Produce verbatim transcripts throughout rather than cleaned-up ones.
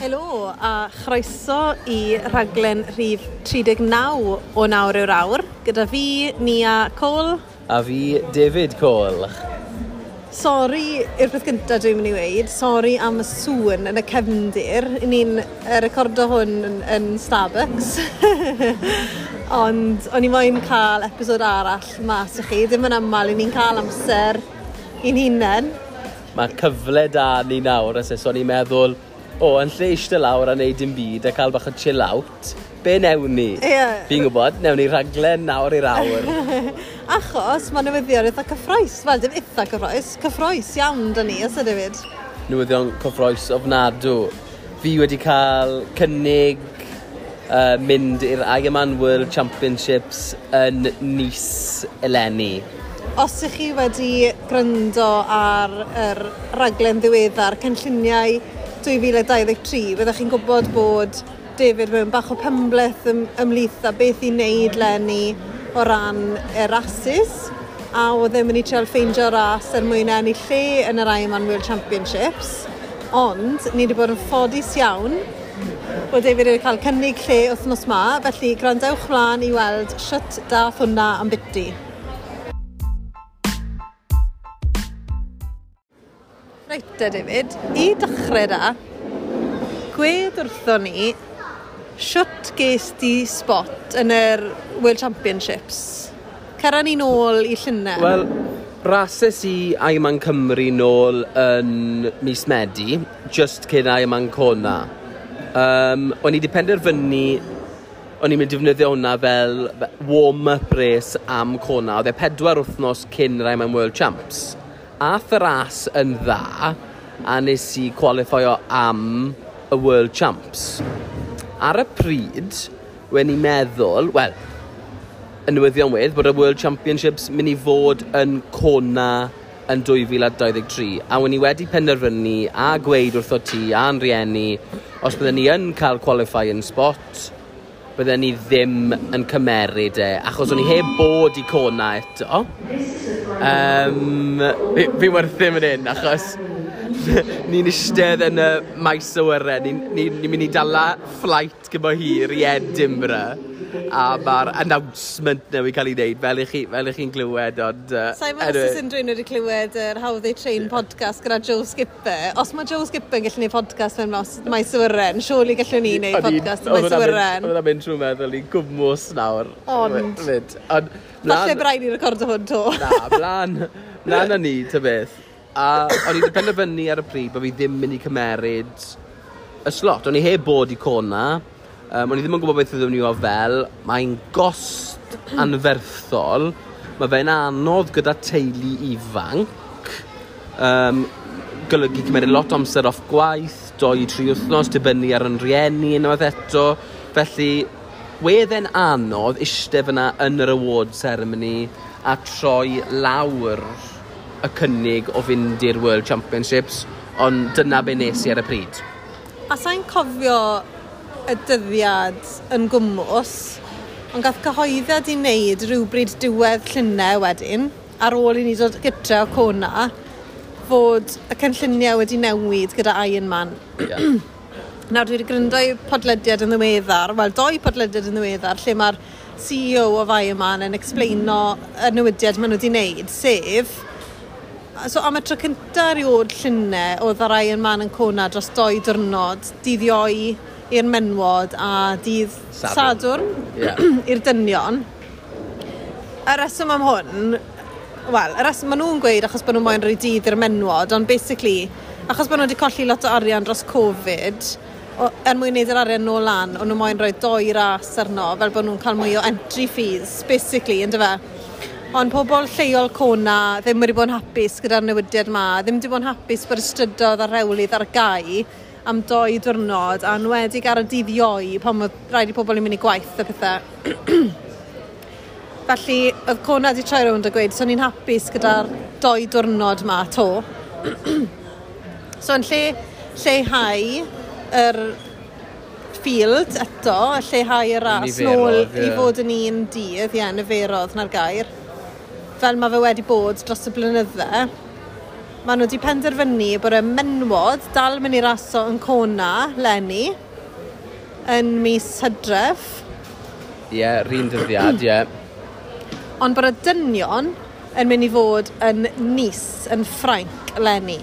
Helo a chroeso i rhaglen rhif tri deg naw o Nawr yw'r Awr gyda fi, Nia Cole. A fi, David Cole. Sori yw'r peth gyntaf dwi'n mynd i weud, sori am y sŵn yn y cefndir. Ni'n recordo hwn yn, yn Starbucks. Ond o'n i moyn cael episod arall mas i chi. Ddim yn aml i ni'n cael amser i'n hunain. Mae cyfle da ni nawr, as so o'n i'n meddwl, o, yn lle eistedd lawr a neud dim byd a cael bach o chill out, be newn ni? Yeah. Fi'n gwybod, newn ni rhaglen nawr i'r awr. Achos mae newyddion eitha cyffrous, wel dim eitha cyffrous, cyffrous iawn da ni, os ydy David? Newyddion cyffrous ofnadw. Fi wedi cael cynnig uh, mynd i'r Ironman World Championships yn Nice eleni. Os ych chi wedi gryndo ar yr raglen ddiweddar, cynlluniau dwy fil a dau ddeg tri, byddech chi'n gwybod bod David mewn bach o penbleth ym, ymhlith a beth i wneud leni o ran y rasis, a oedd e'n mynd i trial ffeindio ras er mwyn ennill lle yn yr Ironman World Championships, ond ni wedi bod yn ffodus iawn bod David wedi cael cynnig lle wythnos ma, felly gwrandewch mlaen i weld shwt dath hwnna ambiti. Reit te, David, i dechrau da, gwed wrthon ni, shwt ges di spot yn yr World Championships? Cera ni nôl i Llundain. Wel, rases i Ironman Cymru nôl yn mis Medi, just cyn Ironman Kona. Um, o'n i wedi penderfynu, o'n i'n mynd i defnyddio hwnna fel warm-up race am Kona. Oedd e pedwar wythnos cyn yr Ironman World Champs. Ath y ras yn dda, a nes i qualifio am y World Champs. Ar y pryd, wen i'n meddwl, wel, y newyddion wedd, bod y World Championships mynd i fod yn Kona yn dwy fil a dau ddeg tri. A wen i wedi penderfynu a gweud wrtho ti a'n rieni, os bydden ni yn cael qualifying spot, bydden ni ddim yn cymeryd e, achos o'n i heb bod i Kona eto. Um, fi, fi werthu fan hyn, achos ni'n eistedd yn y maes awyren, ni'n ni, ni mynd i dala flight gyda hir i Edinburgh, a mae'r announcement newydd cael ei wneud, fel i chi, fel i chi'n glywed, ond... Uh, Sa'n meddwl os oes unrhyw un wedi clywed yr How They Train podcast gyda Joe Skipper. Os mae Joe Skipper yn gallu gwneud podcast mewn maes, maes awyren, surely gallwn ni wneud podcast yn maes awyren. Oedd hwnna'n mynd trwy meddwl i'n gwmws nawr. Ond. Fyd. Ond, falle braidd i recordo hwn to. Na, mlaen, mlaen â ni, ta beth. A o'n i wedi penderfynu ar y pryd bod fi ddim mynd i cymeryd y slot. O'n i heb bod i Kona. Um, o'n i ddim yn gwybod beth oedden ni o fel. Mae'n gost anferthol. Mae fe'n anodd gyda teulu ifanc. Um, golygu cymeryd lot o amser off gwaith, doi i tri wythnos, dibynnu ar yn rhieni unwaith eto. Felly, wedd e'n anodd eistedd fyna yn yr award ceremony a troi lawr y cynnig o fynd i'r World Championships, ond dyna be nes i ar y pryd. A sa'n cofio y dyddiad yn gwmws, ond gath cyhoeddiad i wneud rhywbryd diwedd Llundain wedyn, ar ôl i ni dod gytre o Kona, fod y cynlluniau wedi newid gyda Ironman. Yeah. Nawr dwi wedi gryndo i podlediad yn ddiweddar, wel doi podlediad yn ddiweddar, lle mae'r C E O of Ironman yn explaino y newidiad maen nhw wedi wneud, sef, so am y tro cynta erioed Llundain, oedd yr Ironman yn Kona dros doi diwrnod, dydd Iau i'r menwod a dydd Sadwrn, Sadwrn yeah. i'r dynion. Y reswm am hwn, wel, y reswm maen nhw'n gweud achos bod nhw moyn rhoi dydd i'r menwod, ond basically, achos bod nhw wedi colli lot o arian dros Covid, o, er mwyn wneud yr arian nôl lan, o'n nhw moyn rhoi doi ras arno, fel bod nhw'n cael mwy o entry fees, basically, yndyfe? Ond pobl lleol Kona ddim wedi bod yn hapus gyda'r newidiad ma, ddim wedi bod yn hapus bod y strydoedd a'r rhewlydd ar gau am doi diwrnod, a enwedig ar y dydd Iau pan oedd rhaid i pobl i mynd i gwaith a pethau. Felly, oedd Kona wedi troi rownd a gweud, so ni'n hapus gyda'r doi diwrnod ma to. So yn lle lleihau yr field eto, lleihau y ras nôl i fod yn un dydd, ie, niferodd na'r gair, fel mae fe wedi bod dros y blynydde. Maen nhw wedi penderfynu bod y menwod dal mynd i raso yn Kona, leni, yn mis Hydref. Ie, yeah, rhan dyddiad, ie. Yeah. Ond bod y dynion yn mynd i fod yn Nice, yn Ffrainc, leni.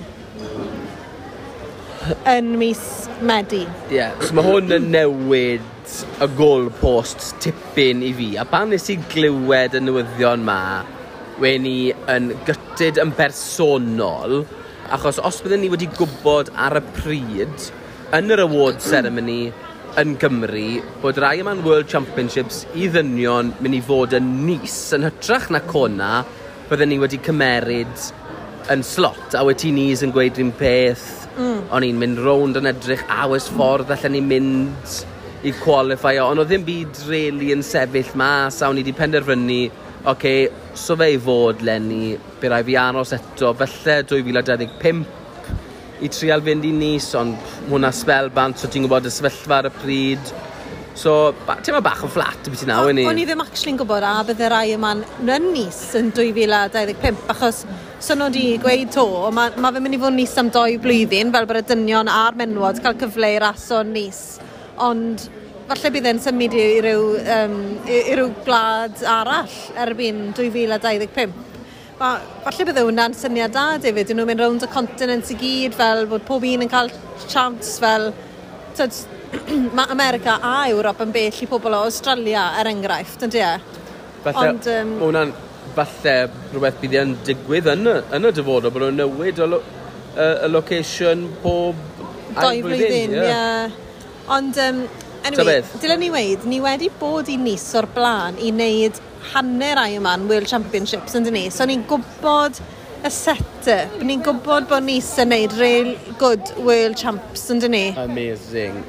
Yn mis Medi. Ie, yeah, so mae hwn yn newid y goalposts tipyn i fi. A pan nes i glywed y newyddion ma, wen i yn gutted yn bersonol, achos os bydden ni wedi gwybod ar y pryd, yn yr award ceremony yn Gymru, bod yr Ironman World Championships i ddynion mynd i fod yn Nice yn hytrach na Kona, bydden ni wedi cymeryd yn slot, a wedi Nice yn gweud rhywun peth, mm. o'n i'n mynd rownd yn edrych, a oes ffordd allan ni mynd i qualify, ond oedd ddim byd really yn sefyll mas, a o'n i wedi penderfynu, oce, okay, so fe i fod leni, by rai fi aros eto, falle dwy fil a dau ddeg pump i trial fynd i Nice, ond hwnna sbel bant, so ti'n gwybod y sefyllfa ar y pryd. So, ba, ti'n meddwl bach yn fflat beth i nawr, O'n i ddim actually'n gwybod a bydde rai yma'n yn Nice yn dwy fil a dau ddeg pump, achos so nhw wedi gweud to, mae ma fe'n mynd i fod yn Nice am doi blwyddyn, fel bod y dynion a'r menwod cael cyfle i raso yn Nice. Ond falle bydd e'n symud i, i ryw, um, i, i ryw gwlad arall erbyn dwy fil a dau ddeg pump. Ma, falle bydde hwnna'n syniad da, David, dyn nhw'n mynd rownd y continent i gyd, fel bod pob un yn cael chance, fel tyd, mae America a Ewrop yn bell i pobl o Australia, er enghraifft, yn e? Falle, Ond, yym, ma' hwnna'n falle rhywbeth bydd yn digwydd yn y, yn y dyfodol, bod nhw'n newid y, lo, y, y location pob Doi ail flwyddyn, ie. Yeah. Ond, um, anyway, beth? Dylen ni weid, ni wedi bod i Nice o'r blaen i wneud hanner Ironman World Championships, yn dyn ni? So ni'n gwybod y set-up, ni'n gwybod bod Nice yn wneud real good World Champs, yn dyn ni? Amazing.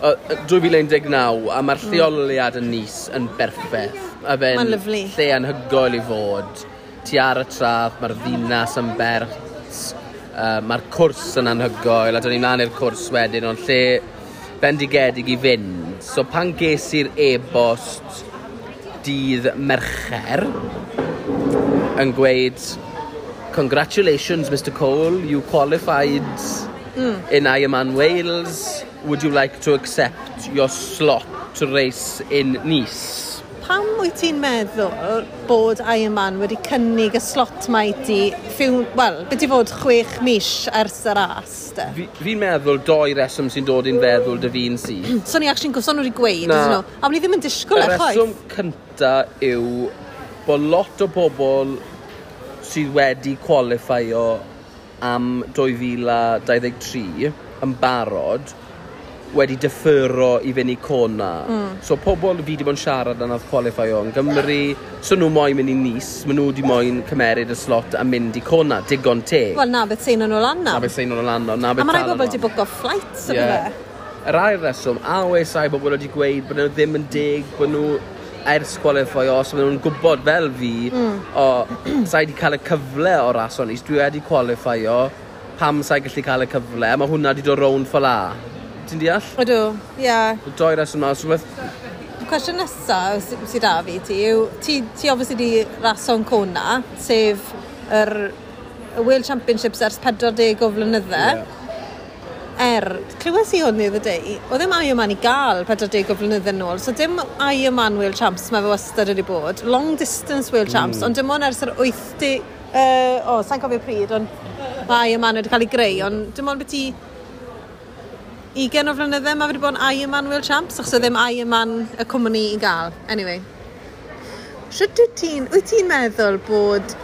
Uh, dwy fil un deg naw, a mae'r lleoliad yn Nice yn berffaith. A fe'n Mae'n lyfli. Lle anhygoel i fod. Ti ar y traeth, mae'r ddinas yn bert, uh, mae'r cwrs yn anhygoel, a dyn ni'n mlaen i'r cwrs wedyn, ond lle bendigedig i fynd. So pan ges i'r e-bost dydd Mercher yn gweud, "Congratulations, Mister Cole, you qualified mm. in Ironman Wales. Would you like to accept your slot to race in Nice?" Pam wyt ti'n meddwl bod Ironman wedi cynnig y slot ma i ti, few, wel, beth i fod chwech mis ers y ras, de? Fi'n fi meddwl doi reswm sy'n dod i'n feddwl dy fi'n syth. So ni actually'n gwybod, so nhw wedi gweud, Na. ydyn nhw? A o'n i ddim yn disgwyl Y e, chwaith. reswm cynta yw bod lot o bobl sydd wedi qualifio am dwy fil a dau ddeg tri yn barod wedi deferro i fynd i Kona. Mm. So pobl fi wedi bod yn siarad yn nath qualifio yn Gymru, so nhw moyn mynd i Nice, maen nhw wedi moyn cymeryd y slot a mynd i Kona, digon teg. Wel, na beth sy'n nhw lan Na am. beth sy'n nhw'n lan o, na beth A mae rai talan bobl nhw wedi am. bwco flights o Ie. yeah. Yr ail reswm, a oes rai bobl wedi gweud bod nhw ddim yn deg, bod nhw ers qualify os maen nhw'n gwybod fel fi, mm. o, sa'i wedi cael y cyfle o ras o'n Nice, dwi wedi qualifio, pam sa'i gallu cael y cyfle, a mae hwnna wedi dod rownd fel a. Ti'n deall? Ydw, ie. Yeah. Doi reswm na, so rhywbeth Y cwestiwn nesaf sy- sydd da fi ti yw, ti, ti obviously di raso'n Kona, sef yr y World Championships ers pedwar deg o flynydde. Ie. Er, clywes i hwn the other day, oedd ddim Ironman i gael pedwar deg o flynydde nôl, so dim Ironman World Champs mae fe wastad wedi bod, long distance World Champs, mm. ond dim ond ers yr wyth deg, uh, o, sa'n cofio pryd, ond mae Ironman wedi cael ei greu, ond dim ond beth i ugain o flynydde mae wedi bod yn Ironman World Champs, achos oedd ddim Ironman y cwmni i gael. Anyway. Shwt wyt ti'n, wyt ti'n meddwl bod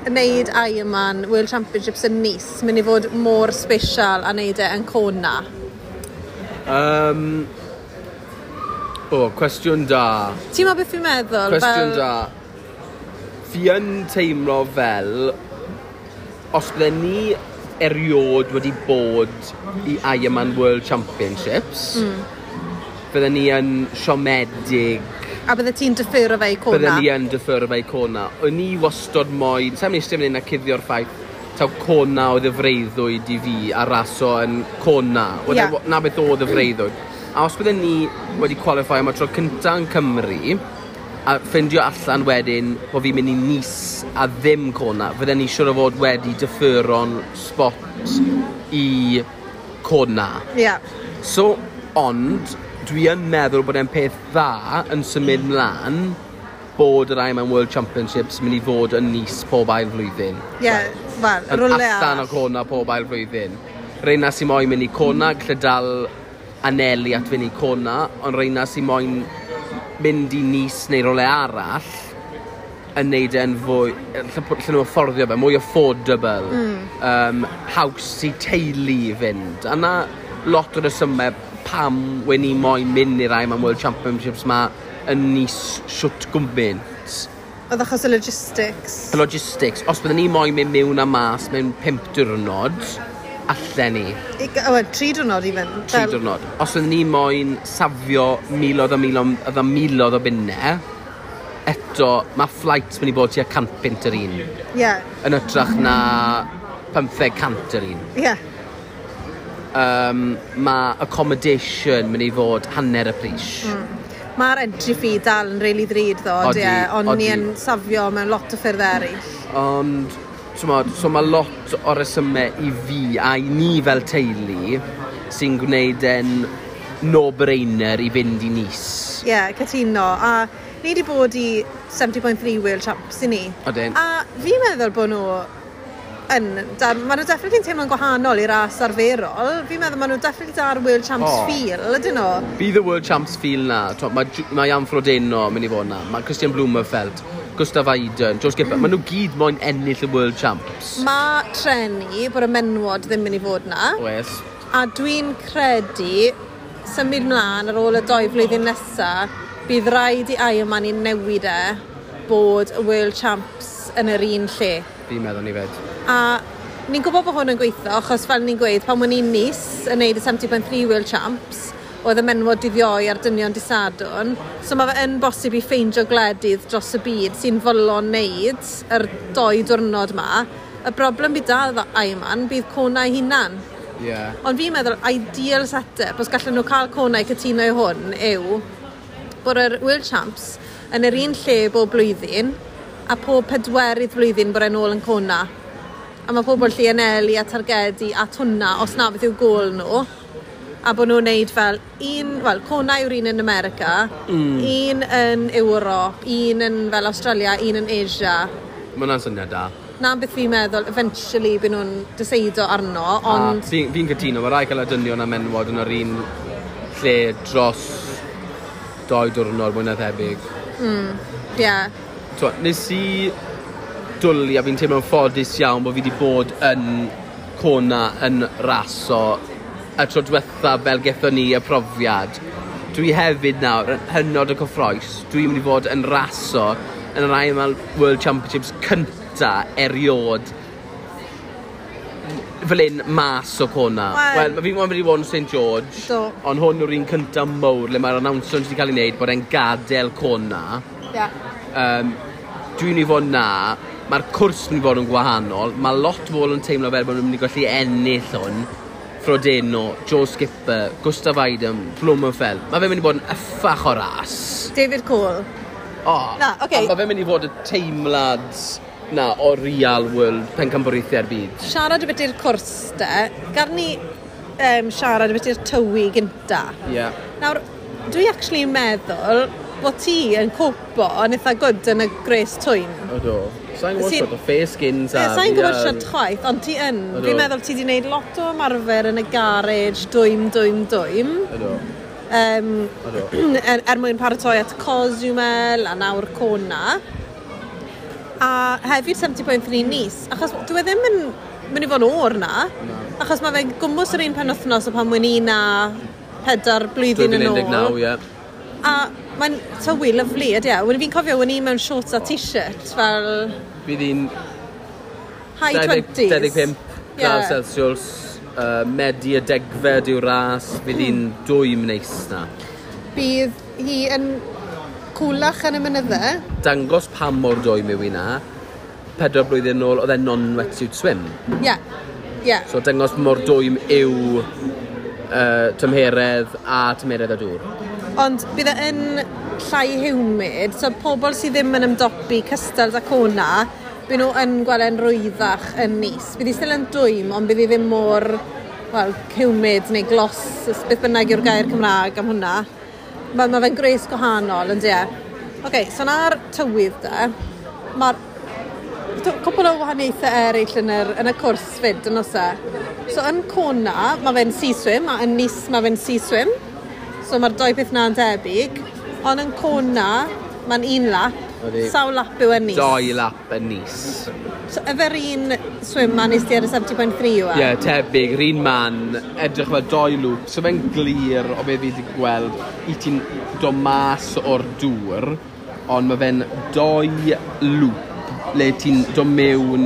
wneud Ironman World Championships yn Nice mynd i fod mor special a wneud e yn Kona? Um, o, cwestiwn da. Ti'n meddwl beth fi'n meddwl? Cwestiwn fel- da. Fi yn teimlo fel, os bydden ni eriod wedi bod i Ironman World Championships, mm. bydden ni yn siomedig, A bydde ti'n deferro fe i Kona? Bydden ni yn deferro fe i Kona. O'n i wastod moyn, sa'n mynd i eistedd fan hyn a cuddio'r ffaith, taw Kona oedd y freuddwyd i fi a raso yn Kona. Oedd Ie. e- Na beth oedd y freuddwyd. A os bydden ni wedi qualify am y tro cynta yn Cymru, A ffindio allan wedyn bod fi'n mynd i Nice a ddim Kona, fydden ni siŵr o fod wedi defero'n spot i Kona. Ie. Yeah. So, ond, dwi yn meddwl bod e'n peth dda yn symud mlaen bod yr Ironman World Championships mynd i fod yn Nice pob ail flwyddyn. Ie, yeah, wel, Yn rwle allan o arall. Kona pob ail flwyddyn. Reina sy'n moyn mynd i Kona, gallu dal anelu at fynd i Kona, ond reina sy'n moyn mynd i Nice neu rywle arall yn neud e'n fwy, lle, lle nhw'n afforddio fe, mwy affordable, mm. um, haws i teulu i fynd. A na lot o'r resymau pam wen ni moyn mynd i'r Ironman World Championships ma yn Nice siwt gwmbynt. Oedd achos y logistics. Y logistics, os byddwn ni moyn mynd mewn a mas mewn pump diwrnod, allen ni. I, o, wel, tri diwrnod i fynd. Tri diwrnod. Os byddwn ni moyn safio miloedd a miloedd a miloedd o bunnau, eto mae flights mynd i bod tua cant punt yr un. Ie, yeah, Yn hytrach na pymtheg cant yr un. ie. Yeah. Um, mae accommodation mynd i fod hanner y pris. Mm. Mae'r entry fee dal yn really ddrud ddo, Odi, ie, ond ni odi. yn safio mewn lot o ffyrdd eraill. Ond, t'mod, so mae lot o resymau i fi a i ni fel teulu sy'n gwneud e'n no-brainer i fynd i Nice. Ie, yeah, cytuno. A ni wedi bod i seventy point three World Champs i ni. Odyn. A fi'n meddwl bod nhw yn, da, maen nhw definitely yn teimlo'n gwahanol i ras arferol. Fi'n meddwl maen nhw definitely da'r World Champs O. feel, ydyn nhw? Bydd y World Champs feel na. T'mo, Mae, Ju- mae Jan Frodeno mynd i fod na. Mae Kristian Blummenfelt, Gustav Iden, Joe Skipper. Mm. Maen nhw gyd moyn ennill y World Champs. Mae treni bod y menwod ddim mynd i fod na. Oes. A dwi'n credu symud mlaen ar ôl y doi flwyddyn nesa, bydd rhaid i Ironman i newid e bod y World Champs yn yr un lle. Fi'n meddwl ni fed. A ni'n gwybod bod hwn yn gweithio, achos fel ni'n gweud, pan o'n i'n Nice yn neud y seventy point three World Champs, oedd y menwod dydd Iau a'r dynion dydd Sadwrn. So mae fe yn bosib i ffeindio gwledydd dros y byd sy'n fodlon neud yr doi diwrnod ma. Y broblem bydd da efo Ironman bydd Kona ei hunan. Yeah. Ond fi'n meddwl, ideal setup, os gallen nhw cael Kona i cytuno i hwn, yw bod yr World Champs yn yr un lle bob blwyddyn, a pob pedwerydd blwyddyn bod e'n ôl yn Kona. A mae pobl lle anelu a targedu at hwnna, os na beth yw gôl nhw. A bod nhw'n neud fel un, wel, Kona yw'r un yn America, mm. un yn Ewrop, un yn fel Australia, un yn Asia. Mae hwnna'n syniad da. Na beth fi'n meddwl, eventually byd nhw'n deseido arno, ond A Fi'n fi cytuno, mae rai cael y dynion a menwod yn yr un lle dros doi diwrnod mwy na thebyg. ie. Yeah. T'mo, nes i dwlu a fi'n teimlo'n ffodus iawn bod fi wedi bod yn Kona yn raso y tro diwetha fel gethon ni y profiad. Dwi hefyd nawr yn hynod o cyffroes. Dwi'n mynd i fod yn raso yn yr Ironman World Championships cynta eriod fel un mas o Kona. Wel- Wel, mae fi'n mynd i fod yn Saint George, Do. ond hwn yw'r un cynta mowr le mae'r announcement wedi cael ei wneud bod e'n gadael Kona. Yeah. Um, dwi'n mynd i fod na, mae'r cwrs mynd i fod yn gwahanol, mae lot o bobl yn teimlo fel bod nhw'n mynd i gallu ennill hwn. Frodeno, Joe Skipper, Gustav Iden, Blummenfelt. Mae fe'n mynd i bod yn yffach o ras. David Cole. O, Na, ocê. A mae fe'n mynd i fod y teimlad na o real world pencampwriaethau'r byd. Siarad ambiti'r cwrs de, gar ni um, siarad ambiti'r tywi gynta. Ie. Yeah. Nawr, dwi actually yn meddwl bod ti yn copo yn eitha good yn y gwres twym. Odw. Sa'n gwybod Sy'n- sort o fair skins a... Ie, Sa'n gwybod fi, siarad chwaith, ond ti yn. Ydw. Fi'n meddwl ti wedi gwneud lot o ymarfer yn y garej, dwym, dwym, dwym. Ydw. Um, Ydw. er, er mwyn paratoi at Cozumel a nawr Kona. A hefyd seventy point three Nice, achos dwi e ddim yn mynd i fod yn oer na. Na. Achos mae fe'n gwmws yr un penwythnos o pan mwyn i na pedair blwyddyn yn dwy fil un deg naw, ôl. ie. A mae'n tywi lyfli, ydy e. Wel, fi'n cofio, o'n i mewn shorts a t-shirt, fel Bydd hi'n high twenties. dau ddeg pump Ie. gradd Celsius, uh, Medi y degfed yw'r ras, fydd hi'n dwym neis na. Bydd hi yn cwlach yn y mynydde. Dangos pam mor dwym yw hi na, pedwar blwyddyn nôl oedd e'n non-wetsuit swim. Ie, ie. So dangos mor dwym yw uh, tymheredd a tymheredd y dŵr. Ond bydd e yn llai humid, so pobl sydd ddim yn ymdopi cystal da Kona, bydd nhw yn gweld e'n rwyddach yn Nice. Bydd hi still yn dwym, ond bydd hi ddim mor, well, humid neu glos, beth bynnag yw'r gair Cymraeg am hwnna. Mae ma fe'n gwres gwahanol, yn de. Oce, okay, so na'r tywydd de, mae'r cwpl o wahaniaethau eraill yn, yr, yn y cwrs fyd, yn oes e? So yn Kona, mae fe'n sea swim, a yn Nice mae fe'n sea swim. So mae'r doi peth na'n debyg. Ond yn Kona, mae'n un lap. Ydi. Sawl lap yw yn Nice? Doi lap yn Nice. So yfe'r un swim ma nes ti ar y seventy point three yw e? Ie, yeah, tebyg, yr un man, edrych fel doi loop, so fe'n glir o be fi wedi gweld i ti'n dod mas o'r dŵr, ond mae fe'n doi loop le ti'n dod mewn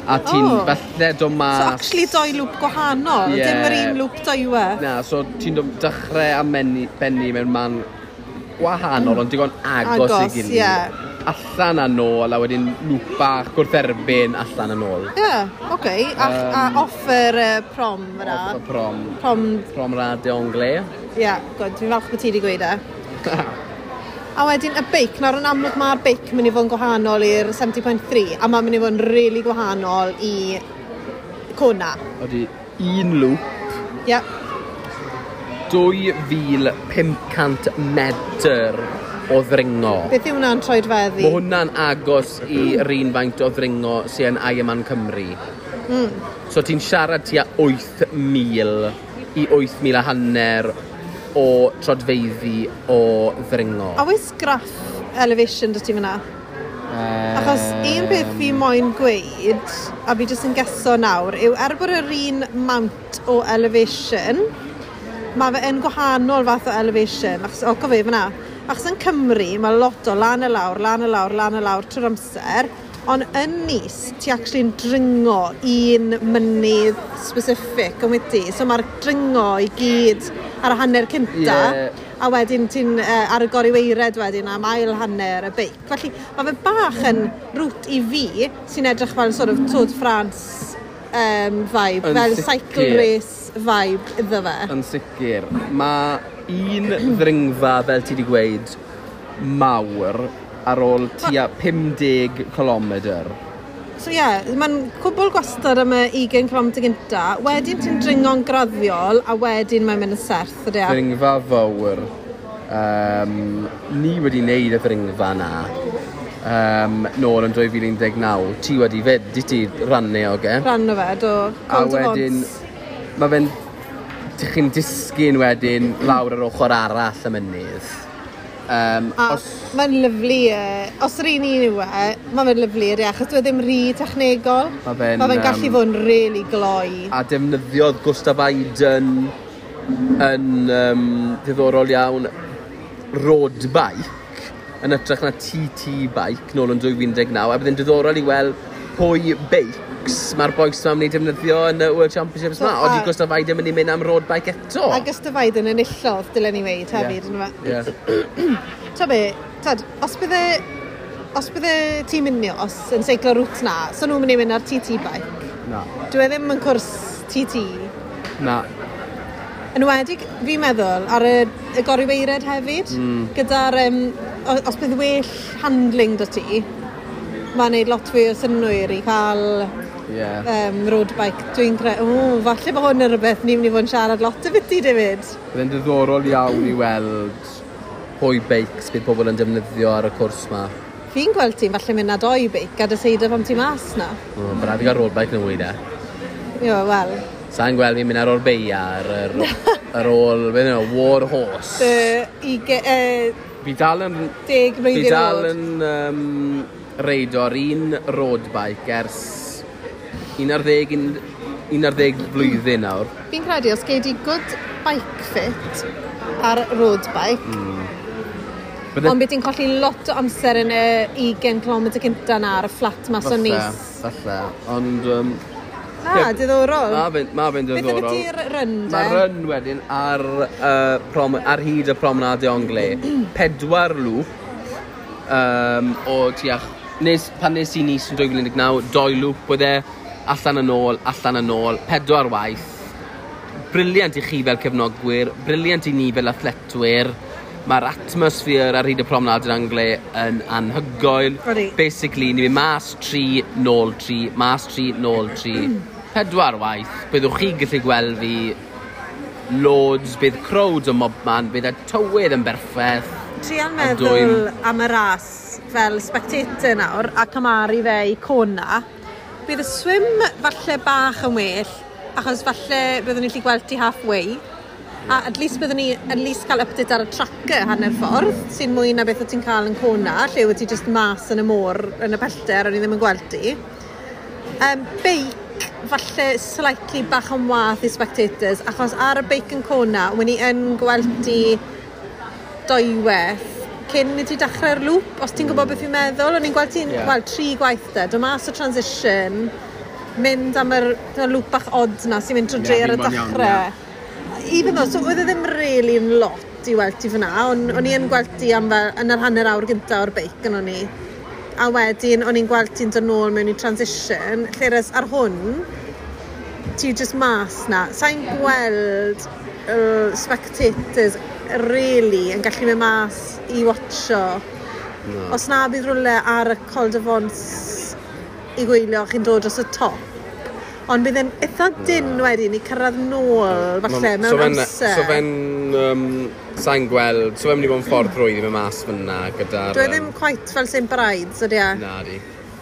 a ti'n Oh. falle dod mas. So actually doi loop gwahanol, Ie. dim yr un loop dwywe. Na, so ti'n dod dechrau a menni, benni mewn man gwahanol, ond digon agos, Agos, i gilydd. Ie. Allan a nôl, a wedyn loop bach gwrtherbyn allan a nôl. Ie, yeah, oce. Okay. A, um, a off yr uh, prom fyna. Off y prom. Prom, Promenade Anglais. Ie, yeah, good. Fi'n falch bod ti wedi gweud e. A wedyn y beic, nawr yn amlwg mae'r beic mynd i fod yn gwahanol i'r seventy point three, a mae'n mynd i fod yn really gwahanol i Kona. Ydy un loop, Ie, yeah. dwy fil pum cant medr o ddringo. Beth yw hwnna'n troedfeddi? Mae hwnna'n agos i'r un faint o ddringo sy'n Ironman Cymru. Mm. So ti'n siarad tua wyth mil i wyth mil a hanner o trodfeiddi o ddringo. A oes graff elevation dy ti fyna? Achos un peth fi moyn gweud, a fi jyst yn geso nawr, yw er bod yr un mount o elevation, mae fe yn gwahanol fath o elevation. Achos, o, gofio fyna. Achos yn Cymru, mae lot o lan y lawr, lan y lawr, lan y lawr trwy'r amser. Ond yn Nice, ti actually'n dringo un mynydd specific yn wedi. So mae'r dringo i gyd ar y hanner cynta. Ie. A wedyn ti'n uh, ar y goriweired wedyn am ail hanner y beic. Felly mae fe bach yn route i fi sy'n edrych fel sort of Tour de France um, vibe, Yn fel sicr. cycle race vibe iddo fe. Yn sicr. Mae un ddringfa, fel ti wedi gweud, mawr ar ôl tua pum deg kilometr. So ie, yeah, mae'n cwbl gwastad am y ugain cilometr gynta. Wedyn ti'n dringo'n graddiol, a wedyn mae'n mynd yn serth, ydy e? Ddringfa fawr. Um, ni wedi wneud y ddringfa na um, nôl yn dwy fil un deg naw. Ti wedi fyd, di ti rannu o ge? Rhan o fe, do. A Col de wedyn, Vence. mae fe'n... Chi'n disgyn wedyn lawr yr ochr arall y mynydd. Um, A os, mae'n lyfli, uh, os yr un un yw e, mae fe'n lyfli ydy, achos dyw e ddim rhy technegol. Ma' fe'n, Ma fe'n gallu yym, fod yn really gloi. A defnyddiodd Gustav Iden yn um, ddiddorol iawn road bike yn hytrach na T T bike nôl yn dwy fil un deg naw, a bydd yn diddorol i weld pwy beics mae'r bois yma'n mynd i defnyddio yn y World Championships So, yma. Oeddi a- Gustav Iden mynd i mynd am road bike eto? A Gustav Iden enillodd, dylen ni weud hefyd, yeah. Yeah. Ta be, tad, os bydde, os bydde tîm Ineos yn seiclo route na, so nhw'n mynd i mynd ar T T bike. Na. Dwi e ddim yn cwrs T T. Na. Yn enwedig, fi'n meddwl, ar y, y goriweired hefyd, mm. gyda'r, um, os bydd well handling dy ti, mae'n neud lot fwy o synnwyr i cael Yeah. um, road bike. Dwi'n credu, o, falle bod hwn yn rhywbeth ni'n mynd i fod yn siarad lot o byti, David. Bydd yn diddorol iawn i weld pwy beics bydd pobl yn defnyddio ar y cwrs ma. Fi'n gweld ti'n falle mynd â doi beic a deseidio pam ti mas na. O, Bydd rhaid i gael road bike yn fwy de. Ie, wel, Sa'n gweld fi'n mynd ar ôl beia ar, ar, ar ôl, beth yw, War Horse. dy uge, uh, Fi dal yn, deg fi mlwyddyn dal oed. yn um, reido ar un road bike ers un ar ddeg, un ar ddeg flwyddyn nawr. Fi'n credu os gei di good bike fit ar road bike, mm. Bydde- ond bydd ti'n colli lot o amser yn y ugain cilometr cynta na ar y fflat mas o Falle, Nice. Falle, ond... Um, Na, Ie. diddorol. Ma fe'n ma fe'n Beth diddorol. ydy'r run, de? Mae run wedyn ar, uh, prom, ar hyd y Promenade Anglais. Pedwar lŵp um, o tua... Nes, pan nes i Nice yn dwy fil un deg naw, doi lŵp oedd e, allan yn ôl, allan yn ôl, pedwar waith. Brilliant i chi fel cefnogwyr, brilliant i ni fel athletwyr. Mae'r atmosphere ar hyd y Promenade des Anglais yn anhygoel. Odi. Basically, ni'n mynd mas tri, nôl tri, mas tri, nôl tri. Pedwar waith. Byddwch chi gallu gweld fi loads, bydd crowds o mobman, bydd y tywydd yn berffaith. Trial A meddwl dwym. am y ras fel spectator nawr a cymharu fe i Kona. Bydd y swim falle bach yn well, achos falle byddwn ni'n gallu gweld ti halfway. A at least byddwn ni at least cael update ar y tracker hanner ffordd, sy'n mwy na beth o ti'n cael yn Kona, lle wyt ti just mas yn y môr yn y pellter, o'n i ddim yn gweld ti. Um, beic, falle slightly bach yn wath i spectators, achos ar y beic yn Kona, when i yn gweld ti dwyweth cyn i ti dechrau'r loop, os ti'n gwybod beth fi'n meddwl, o'n i'n gweld ti'n Ie. yeah. Wel, tri gwaith de, dod mas o transition, mynd am yr y loop bach odd na sy'n mynd trwy Ie, dre ar y fi'n moyn iawn, dechrau. Even though, so oedd e ddim really yn lot i weld ti fyna, ond o'n i yn gweld ti am fel yn yr hanner awr gyntaf o'r beic yn o'n i. A wedyn o'n i'n gweld ti'n dod nôl mewn i transition, lle res ar hwn, ti just mas na. Sa'n gweld uh, spectators really yn gallu mynd mas i watcho. No. Os na bydd rhywle ar y Col de Vence i gwylio chi'n dod dros y top. Ond bydd e'n eitha dyn wedyn i cyrraedd nôl, falle, mewn so fe'n, amser. So fe'n, um, sa'n gweld, so fe'n mynd i fod yn ffordd rwydd i fynd mas fyna gyda'r... Dwi e ddim quite fel Saint Brides, ydy e? Na di.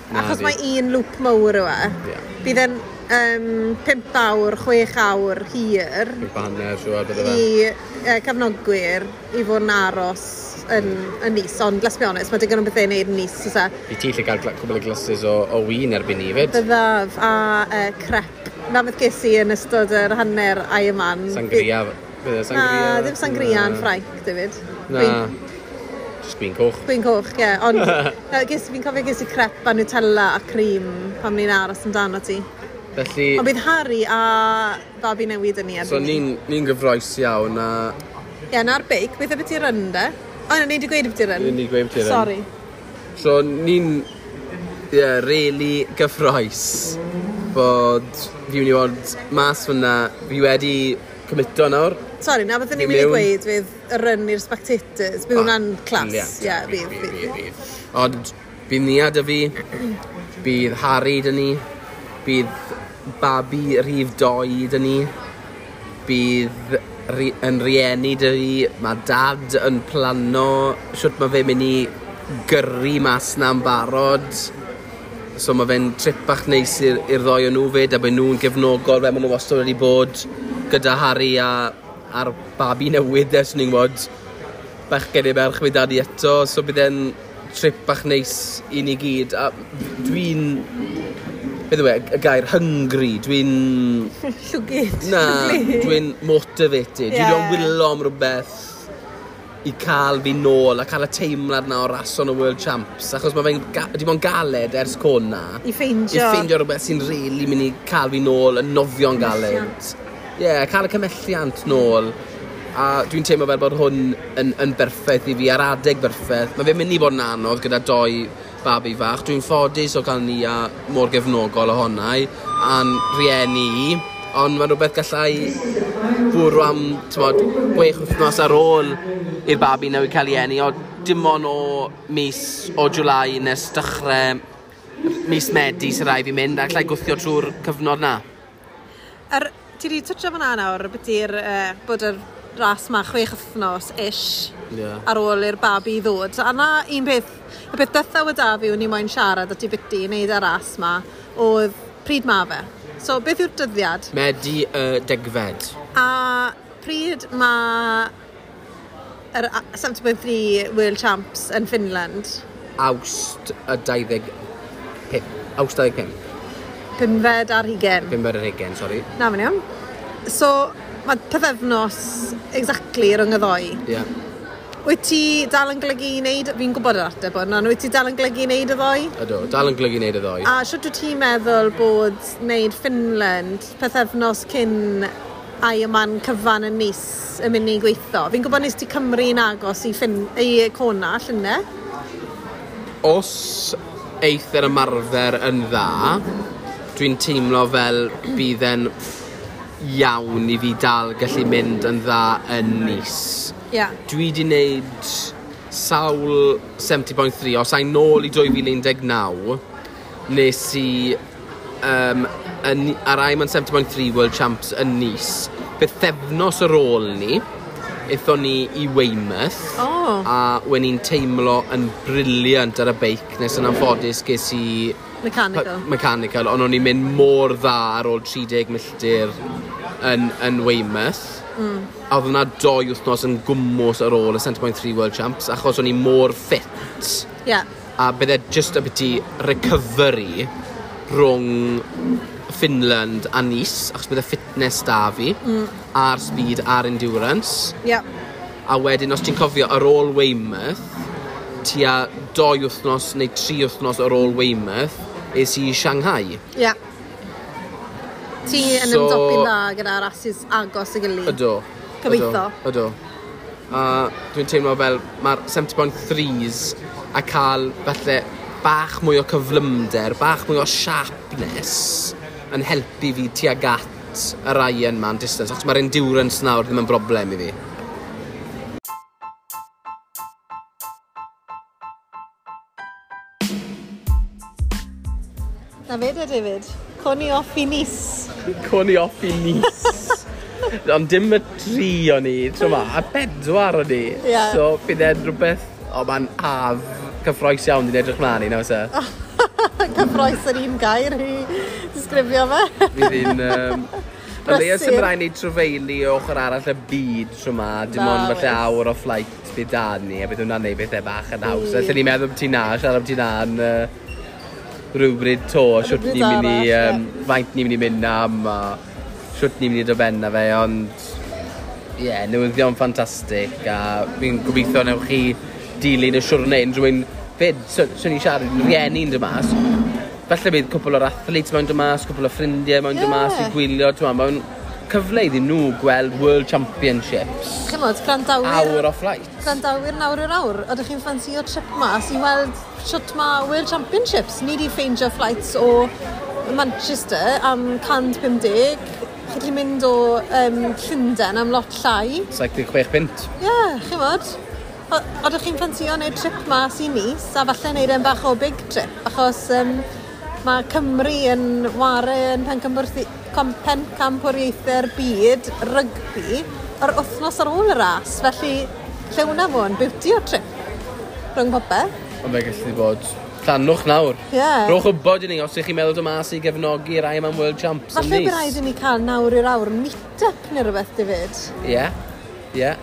Na Achos di. mae un loop mawr yw e. Ie. Bydd e'n um, pump awr, chwech awr hir Pump a hanner, siŵr, bydde fe. i uh, cefnogwyr i fod yn aros yn, yn Nice. Ond, let's be honest, mae digon o bethau i wneud yn Nice, oes e? I ti lle gael gla- cwbl o glasses o, o win erbyn ni, fyd. Byddaf a uh, crepe. Na beth ges i yn ystod yr hanner Ironman. Sangria. Bydde Na, sangria. ddim sangria yn Na. Ffrainc, David. Na. Gwin, Just gwin coch. gwin coch, ie. Yeah. Ond uh, ges, fi'n cofio ges i crepe a Nutella a cream pan ni'n aros amdano ti. Felly, Ond bydd Harry a babi newydd yn ni so erbyn ni. ni'n ni gyfroes iawn a Ie, na'r beic, beth yw ti run de? O, na, ni wedi gweud beth run. Ni 'di gweud beth run. Sorry. So ni'n yeah, really gyffroes bod fi mynd i fod mas fyna, fi wedi cymito nawr. Sorry, na beth ni'n Fi mynd i mewn. gweud fydd y run i'r spectators. Bydd hwnna'n class. Brilliant. Ie, bydd, Bydd, bydd. bydd. Ond bydd Nia 'da fi, bydd Harry 'da ni, bydd babi rhif doi 'da ni, bydd ri, yn rieni 'da fi, mae dad yn plano shwt mae fe'n mynd i gyrru mas na'n barod. So mae fe'n trip bach neis i'r i'r ddoi o nhw fyd, a bod nhw'n gefnogol fel maen nhw wastad wedi bod gyda Harry a, a'r babi newydd ers ni'n gwybod bachgen neu merch fydd dad i eto, so bydd e'n trip bach neis i ni gyd. A dwi'n, beth yw e, y gair hungry, dwi'n, Llwgyd. na, Llwglyd. dwi'n motivated. Dwi'n Ie. yeah. wylo am rhywbeth i cael fi nôl a cael y teimlad na o rason y World Champs, achos mae fe'n ga- wedi bod yn galed ers Kona. I ffeindio. I ffeindio rhywbeth sy'n really mynd i cael fi nôl yn nofio'n galed. Ie, yeah, cael y cymhelliant nôl. A dwi'n teimlo fel bod hwn yn, yn berffaith i fi, ar adeg berffaith. Mae fe'n mynd i bod yn anodd gyda doi babi fach. Dwi'n ffodus o cael ni a mor gefnogol ohonau, a'n rieni i. Ond mae'n rhywbeth gallai bwrw am, t'mod, chwech wythnos ar ôl i'r babi newydd cael ei eni, o dim ond o mis o July nes dechrau mis Medi sy'n rhaid fi mynd, a allai gwthio trwy'r cyfnod na. Er, ti wedi twtio fan'na nawr, beti'r, uh, bod yr ras ma chwech wythnos ish Ie. ar ôl i'r babi ddod. A na un peth, y peth dytha o da fi o'n i moyn siarad at i biti i wneud y ras ma, oedd pryd ma fe. So, beth yw'r dyddiad? Medi y degfed. A pryd ma yr a- seventy point three World Champs yn Finland? Awst y dau ddeg pump. Awst dau ddeg pump. Pumfed ar hugen. Pumfed ar hugen, sori. Na, mae'n iawn. So, mae pythefnos exactly rhwng y ddoi. Ie. Yeah. Wyt ti dal yn golygu i wneud, fi'n gwybod yr ateb hwn, ond wyt ti dal yn golygu i wneud y ddoi? Ydw, dal yn golygu wneud y ddoi. A shwt wyt ti'n meddwl bod wneud Finland pythefnos cyn Ironman cyfan yn Nice yn mynd i gweithio? Fi'n gwybod nes ti Cymru'n agos i, Fin i Kona, llynedd. Os eith yr ymarfer yn dda, dwi'n teimlo fel bydd e'n iawn i fi dal gallu mynd yn dda yn Nice. Ie. Yeah. Dwi di wneud sawl seventy point three, os a'i nôl i dwy fil un deg naw, nes i um, yn, ar Ironman seventy point three World Champs yn Nice, bythefnos ar ôl ni, aethon ni i Weymouth, oh. a wen i'n teimlo yn brilliant ar y beic, nes yn anffodus ges i... Mechanical. Mechanical, ond o'n i'n mynd mor dda ar ôl tri deg milltir yn, yn Weymouth. Mm. A oedd hwnna doi wythnos yn gwmws ar ôl y seventy point three World Champs, achos o'n i mor fit. Yeah. A bydde just abyti recovery rhwng Finland a Nice, achos bydde fitness da fi, mm. a'r speed a'r endurance. Yeah. A wedyn, os ti'n cofio, ar ôl Weymouth, tua doi wythnos neu tri wythnos ar ôl Weymouth, es i Shanghai. Yeah. Ti yn so, ymdopi'n dda gyda rasis agos y gilydd. Ydw. Gobeithio. Ydw. A dwi'n teimlo fel mae'r seventy point threes a cael falle bach mwy o cyflymder, bach mwy o sharpness yn helpu fi tuag at yr Ironman distance, achos mae'r endurance nawr ddim yn broblem i fi. Na fe de, David. Coni off i Nice. Coni off i Nice. Ond dim y tri o'n i, tro ma, a bedwar o'n i. Yeah. So, bydd e'n rhywbeth, o, mae'n haf cyffroes iawn i'n edrych mlaen i, na fysa? Cyffroes yr un gair i disgrifio fe. Fydd hi'n... Um, o leia sy'n rhaid ni trofeili o ochr arall y byd tro ma, dim ond falle awr o flight bydd da ni, a bydd hwnna'n neud bethau bach yn haws. Mm. Allen ni'n meddwl byti na, siarad byti na yn uh, rhywbryd to, siwt ni'n mynd i, um, faint ni'n mynd i mynd am, a siwt ni'n mynd i dod ben na fe, ond ie, yeah, newyddion ffantastig, a fi'n gobeithio newch chi dilyn y siwrne unrhyw un fyd, so ni'n siarad rieni'n dod mas, falle bydd cwpl o'r athletes mewn dod mas, cwpl o ffrindiau mewn dod mas i gwylio, ti'n mae'n cyfle iddyn nhw gweld World Championships. Chymod, grandawyr... Hour o flight. Grandawyr nawr i'r awr. Ydych chi'n ffansio trip mas i weld shwt ma World Championships? Ni di ffeindio flights o Manchester am cant pum deg. Chi'n gallu mynd o um, Llundain am lot llai. saith deg chwech punt. Ie, yeah, chymod. Ydych chi'n ffansio wneud trip mas i Nice a falle wneud e'n bach o big trip, achos um, mae Cymru yn ware yn pencampwriaethau'r byd rygbi yr wythnos ar ôl y ras, felly lle hwnna fod yn beauty o trip rhwng popeth. Ond fe gallu bod llanwch nawr. Yeah. Rhowch wybod i ni os ych chi'n meddwl dod mas i gefnogi'r Ironman World Champs yn Falle Nice. bydd rhaid i ni cael nawr i'r awr meet-up neu rhywbeth, David. Ie, yeah. ie. Yeah.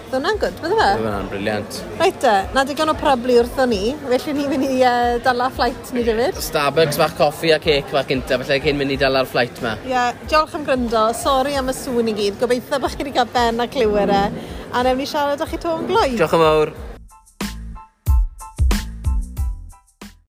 Bydd hwnna'n gwd, bydde fe? Bydd hwnna'n brilliant. Reit te, na digon o prablu wrtho ni, felly ni'n mynd i uh, dala flight ni, David. Starbucks bach coffi a cake bach gynta, felly cyn mynd i dala'r flight ma. Ie, yeah, diolch am gryndo, sori am y sŵn i gyd, gobeithio bod chi wedi cael ben a clywed e, a newn ni siarad â chi to yn gloi. Diolch yn fawr.